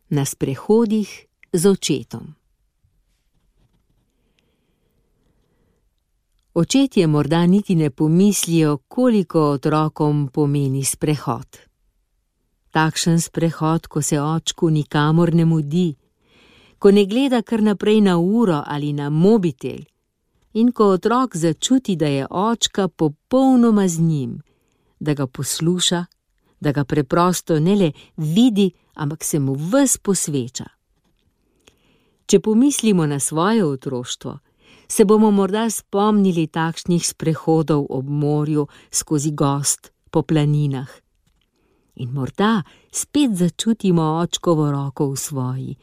Na sprehodih z očetom. Očetje morda niti ne pomislijo, koliko otrokom pomeni sprehod. Takšen sprehod, ko se očku nikamor ne mudi, ko ne gleda kar naprej na uro ali na mobitel in ko otrok začuti, da je očka popolnoma z njim, da ga posluša, da ga preprosto ne le vidi, ampak se mu ves posveča. Če pomislimo na svoje otroštvo, se bomo morda spomnili takšnih sprehodov ob morju, skozi gozd, po planinah. In morda spet začutimo očkovo roko v svoji,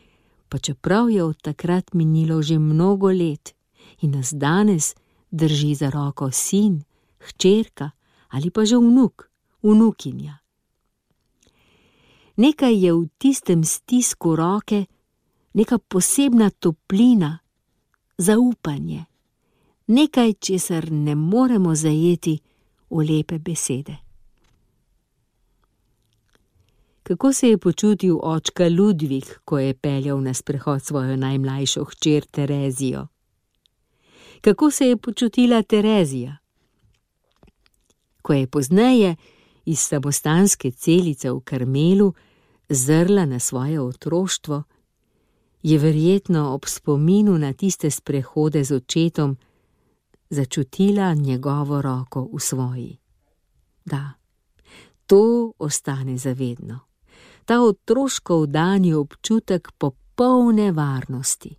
pa čeprav je od takrat minilo že mnogo let in nas danes drži za roko sin, hčerka ali pa že vnuk, vnukinja. Nekaj je v tistem stisku roke, neka posebna toplina, zaupanje, nekaj, česar ne moremo zajeti v lepe besede. Kako se je počutil očka Ludvik, ko je peljal na sprehod svojo najmlajšo hčer Terezijo? Kako se je počutila Terezija? Ko je pozneje iz samostanske celice v Karmelu zrla na svoje otroštvo, je verjetno ob spominu na tiste sprehode z očetom začutila njegovo roko v svoji. Da, to ostane zavedno. Ta otroško vdani občutek popolne varnosti.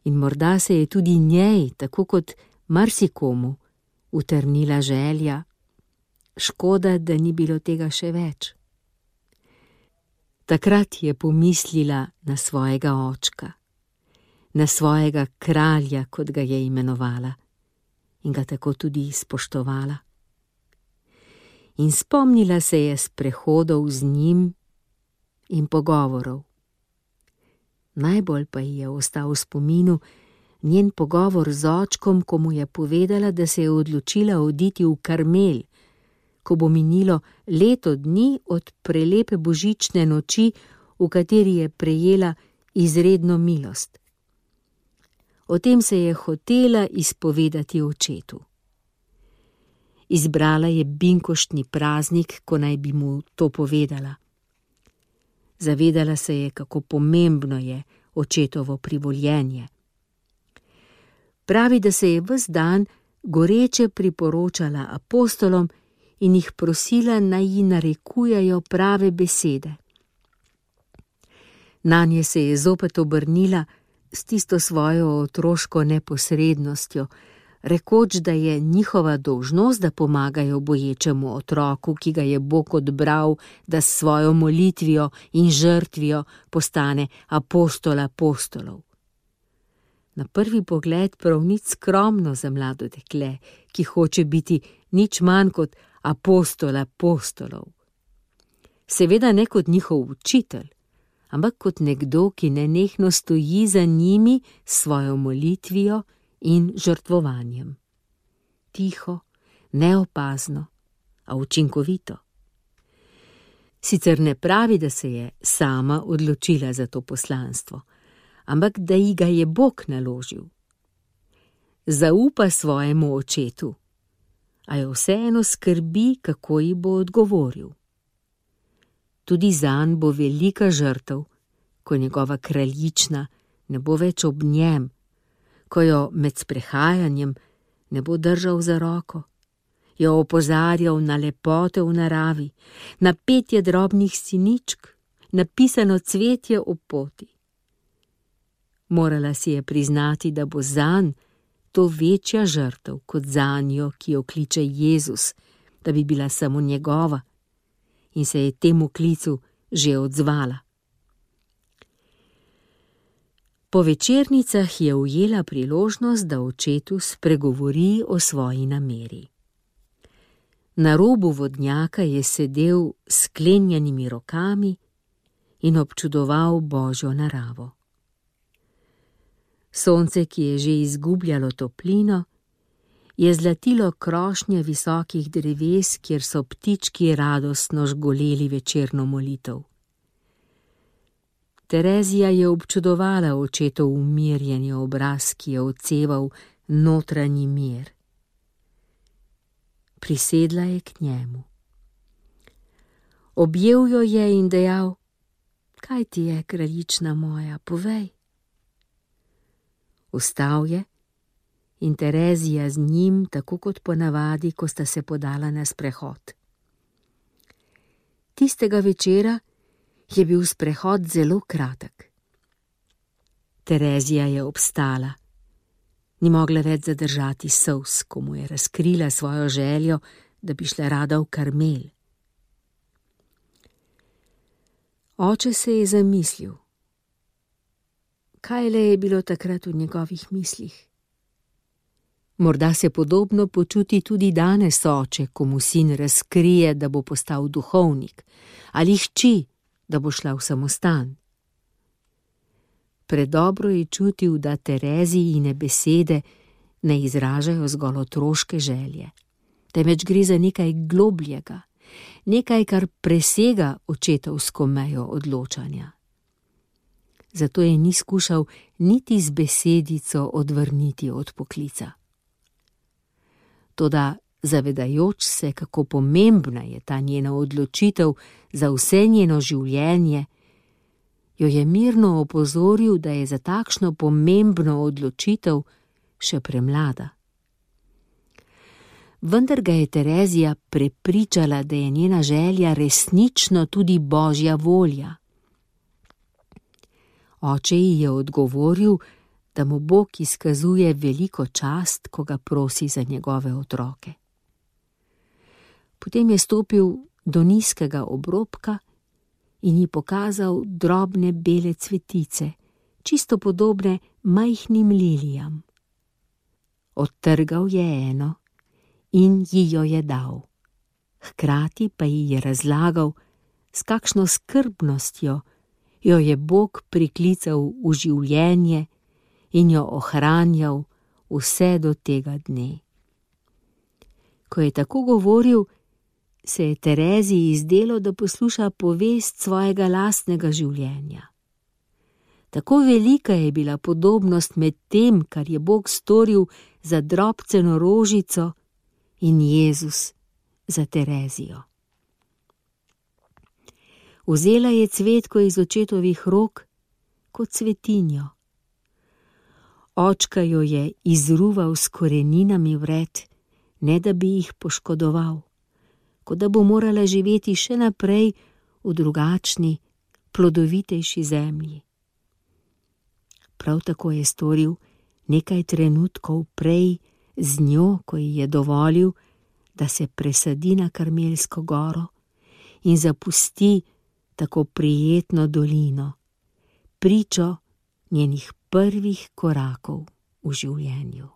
In morda se je tudi njej, tako kot marsikomu, utrnila želja, škoda, da ni bilo tega še več. Takrat je pomislila na svojega očka, na svojega kralja, kot ga je imenovala, in ga tako tudi spoštovala. In spomnila se je sprehodov z njim in pogovorov. Najbolj pa ji je ostal v spominu njen pogovor z očkom, ko mu je povedala, da se je odločila oditi v Karmel, ko bo minilo leto dni od prelepe božične noči, v kateri je prejela izredno milost. O tem se je hotela izpovedati očetu. Izbrala je binkoštni praznik, ko naj bi mu to povedala. Zavedala se je, kako pomembno je očetovo privoljenje. Pravi, da se je ves dan goreče priporočala apostolom in jih prosila, naj ji narekujejo prave besede. Nanje se je zopet obrnila s tisto svojo otroško neposrednostjo, rekoč, da je njihova dolžnost, da pomagajo boječemu otroku, ki ga je Bog odbral, da s svojo molitvijo in žrtvijo postane apostol apostolov. Na prvi pogled prav nič skromno za mlado dekle, ki hoče biti nič manj kot apostol apostolov. Seveda ne kot njihov učitelj, ampak kot nekdo, ki nenehno stoji za njimi s svojo molitvijo in žrtvovanjem. Tiho, neopazno, a učinkovito. Sicer ne pravi, da se je sama odločila za to poslanstvo, ampak da ji ga je Bog naložil. Zaupa svojemu očetu, a jo vseeno skrbi, kako ji bo odgovoril. Tudi zanj bo velika žrtev, ko njegova kraljična ne bo več ob njem, ko jo med sprehajanjem ne bo držal za roko, jo opozarjal na lepote v naravi, na petje drobnih siničk, napisano cvetje ob poti. Morala si je priznati, da bo zanj to večja žrtev kot zanjo, ki jo kliče Jezus, da bi bila samo njegova, in se je temu klicu že odzvala. Po večernicah je ujela priložnost, da očetu spregovori o svoji nameri. Na robu vodnjaka je sedel s sklenjenimi rokami in občudoval Božjo naravo. Sonce, ki je že izgubljalo toplino, je zlatilo krošnje visokih dreves, kjer so ptički radostno žgoleli večerno molitev. Terezija je občudovala očetov umirjeni obraz, ki je odseval notranji mir. Prisedla je k njemu. Objel jo je in dejal: kaj ti je, kraljična moja, povej. Vstal je in Terezija z njim, tako kot ponavadi, ko sta se podala na sprehod. Tistega večera je bil sprehod zelo kratek. Terezija je obstala. Ni mogla več zadržati solz, ko mu je razkrila svojo željo, da bi šla rada v Karmel. Oče se je zamislil. Kaj le je bilo takrat v njegovih mislih? Morda se podobno počuti tudi danes oče, ko mu sin razkrije, da bo postal duhovnik, ali hči, da bo šla v samostan. Predobro je čutil, da Terezijine besede ne izražajo zgolj otroške želje, temveč gre za nekaj globljega, nekaj, kar presega očetovsko mejo odločanja. Zato je ni skušal niti z besedico odvrniti od poklica. Toda zavedajoč se, kako pomembna je ta njena odločitev za vse njeno življenje, jo je mirno opozoril, da je za takšno pomembno odločitev še premlada. Vendar ga je Terezija prepričala, da je njena želja resnično tudi Božja volja. Oče ji je odgovoril, da mu Bog izkazuje veliko čast, ko ga prosi za njegove otroke. Potem je stopil do nizkega obrobka in ji pokazal drobne bele cvetice, čisto podobne majhnim lilijam. Odtrgal je eno in ji jo je dal. Hkrati pa ji je razlagal, s kakšno skrbnostjo jo je Bog priklical v življenje in jo ohranjal vse do tega dne. Ko je tako govoril, se je Tereziji zdelo, da posluša povest svojega lastnega življenja. Tako velika je bila podobnost med tem, kar je Bog storil za drobceno rožico, in Jezus za Terezijo. Vzela je cvetko iz očetovih rok kot cvetinjo. Očka jo je izruval s koreninami vred, ne da bi jih poškodoval, kot da bo morala živeti še naprej v drugačni, plodovitejši zemlji. Prav tako je storil nekaj trenutkov prej z njo, ko ji je dovolil, da se presadi na Karmelsko goro in zapusti tako prijetno dolino, pričo njenih prvih korakov v življenju.